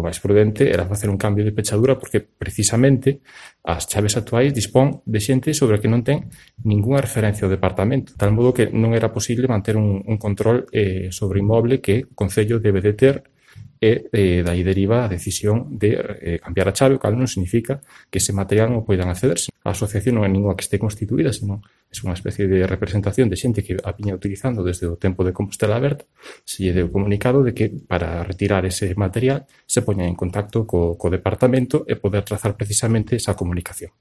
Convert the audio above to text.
O máis prudente era facer un cambio de pechadura porque precisamente as chaves actuais dispón de xente sobre a que non ten ningunha referencia ao departamento, tal modo que non era posible manter un control sobre o inmoble que o Concello debe de ter e dai deriva a decisión de cambiar a chave, o cal non significa que ese material non poidan accederse. A asociación non é ninguna que este constituída, senón é unha especie de representación de xente que a viña utilizando desde o tempo de Compostela Aberta. Se lle deu comunicado de que para retirar ese material se poña en contacto co departamento e poder trazar precisamente esa comunicación.